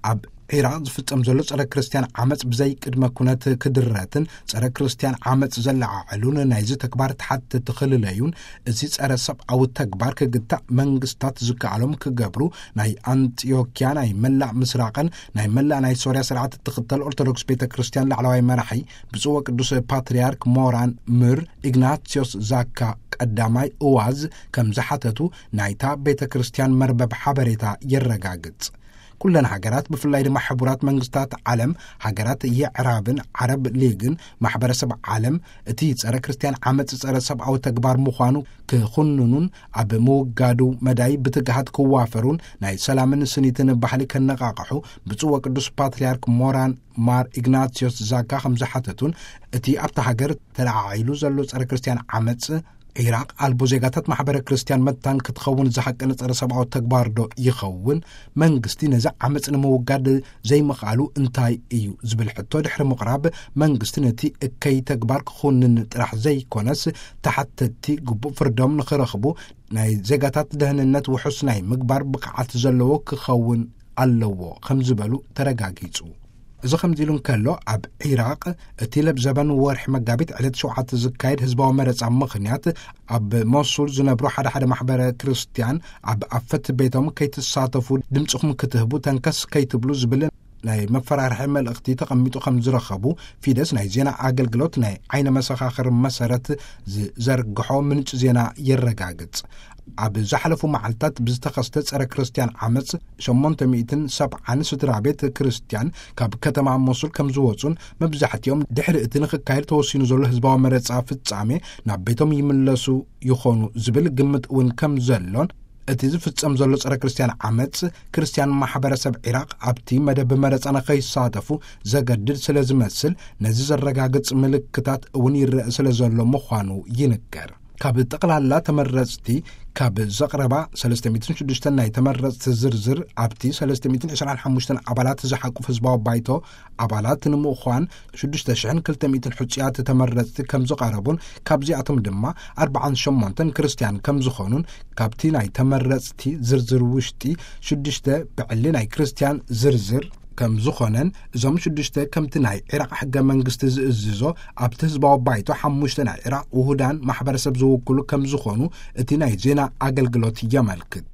ኣብ ዒራቕ ዝፍጸም ዘሎ ጸረ ክርስትያን ዓመጽ ብዘይ ቅድመ ኩነት ክድረትን ጸረ ክርስትያን ዓመጽ ዘለዓዕሉን ናይዚ ተግባር ተሓተቲ ክልለዩን፣ እዚ ጸረ ሰብኣዊ ተግባር ክግታእ መንግስታት ዝከኣሎም ክገብሩ ናይ ኣንጢዮኪያ ናይ መላእ ምስራቕን ናይ መላእ ናይ ሶርያ ስርዓት እትኽተል ኦርቶዶክስ ቤተ ክርስትያን ላዕለዋይ መራሒ ብፁዕ ወቅዱስ ፓትርያርክ ሞራን ምር ኢግናቲዮስ ዛካ ቀዳማይ እዋዝ ከም ዝሓተቱ ናይታ ቤተ ክርስትያን መርበብ ሓበሬታ የረጋግጽ። ኩለን ሃገራት ብፍላይ ድማ ሕቡራት መንግስታት ዓለም፣ ሃገራት የዕራብን ዓረብ ሊግን ማሕበረሰብ ዓለም እቲ ጸረ ክርስትያን ዓመጽ ጸረ ሰብኣዊ ተግባር ምዃኑ ክኹንኑን ኣብ ምውጋዱ መዳይ ብትግሃት ክዋፈሩን ናይ ሰላምን ስኒትን ባህሊ ከነቓቕሑ ብፁዕ ወቅዱስ ፓትርያርክ ሞራን ማር ኢግናቲዮስ ዛካ ከም ዝሓተቱን እቲ ኣብታ ሃገር ተለዓዒሉ ዘሎ ጸረ ክርስትያን ዓመጽ ዒራቕ ኣልቦ ዜጋታት ማሕበረ ክርስትያን መታን ክትኸውን ዝሓቂ ንጸረ ሰብኣዊ ተግባር ዶ ይኸውን? መንግስቲ ነዚ ዓመጽ ንምውጋድ ዘይምኽኣሉ እንታይ እዩ ዝብል ሕቶ ድሕሪ ምቕራብ፣ መንግስቲ ነቲ እከይ ተግባር ክኹንን ጥራሕ ዘይኮነስ ተሓተቲ ግቡእ ፍርዶም ንኽረኽቡ ናይ ዜጋታት ደህንነት ውሑስ ናይ ምግባር ብቕዓት ዘለዎ ክኸውን ኣለዎ ከም ዝበሉ ተረጋጊጹ። እዚ ከምዚ ኢሉ እንከሎ፣ ኣብ ዒራቕ እቲ ለብዘበን ወርሒ መጋቢት ዕለት ሸውዓተ ዝካየድ ህዝባዊ መረጻ ምኽንያት፣ ኣብ ሞሱል ዝነብሩ ሓደ ሓደ ማሕበረ ክርስትያን ኣብ ኣፈት ቤቶም ከይትሳተፉ ድምጽኹም ክትህቡ ተንከስ ከይትብሉ ዝብል ናይ መፈራርሒ መልእኽቲ ተቐሚጡ ከም ዝረኸቡ ፊደስ ናይ ዜና ኣገልግሎት ናይ ዓይነ መሰኻኽር መሰረት ዝዘርግሖ ምንጭ ዜና የረጋግጽ። ኣብ ዝሓለፉ መዓልታት ብዝተኸስተ ጸረ ክርስትያን ዓመጽ ሸሞንተ ሚእትን ሰብዓን ስድራ ቤት ክርስትያን ካብ ከተማ ሞሱል ከም ዝወጹን መብዛሕትኦም ድሕሪ እቲ ንኽካየድ ተወሲኑ ዘሎ ህዝባዊ መረጻ ፍጻሜ ናብ ቤቶም ይምለሱ ይኾኑ ዝብል ግምት እውን ከም ዘሎን፣ እቲ ዝፍጸም ዘሎ ጸረ ክርስትያን ዓመጽ ክርስትያን ማሕበረሰብ ዒራቕ ኣብቲ መደብ መረጻ ንኸይሳተፉ ዘገድድ ስለ ዝመስል፣ ነዚ ዘረጋግጽ ምልክታት እውን ይረአ ስለ ዘሎ ምዃኑ ይንገር። ካብ ጠቕላላ ተመረጽቲ ካብ ዘቕረባ ሰለስተ ሚእትን ሽዱሽተን ናይ ተመረጽቲ ዝርዝር፣ ኣብቲ ሰለስተ ሚእትን ዕስራን ሓሙሽተን ኣባላት ዝሓቁፍ ህዝባዊ ባይቶ ኣባላት ንምዃን ሽዱሽተ ሽሕን ክልተ ሚእትን ሕጹያት ተመረጽቲ ከም ዝቐረቡን ካብዚኣቶም ድማ ኣርባዓን ሸሞንተን ክርስትያን ከም ዝኾኑን፣ ካብቲ ናይ ተመረጽቲ ዝርዝር ውሽጢ ሽዱሽተ ብዕሊ ናይ ክርስትያን ዝርዝር ከም ዝኾነን፣ እዞም ሽዱሽተ ከምቲ ናይ ዒራቕ ሕገ መንግስቲ ዝእዝዞ ኣብቲ ህዝባዊ ባይቶ ሓሙሽተ ናይ ዒራቕ ውሁዳን ማሕበረሰብ ዝውክሉ ከም ዝኾኑ እቲ ናይ ዜና ኣገልግሎት የመልክት።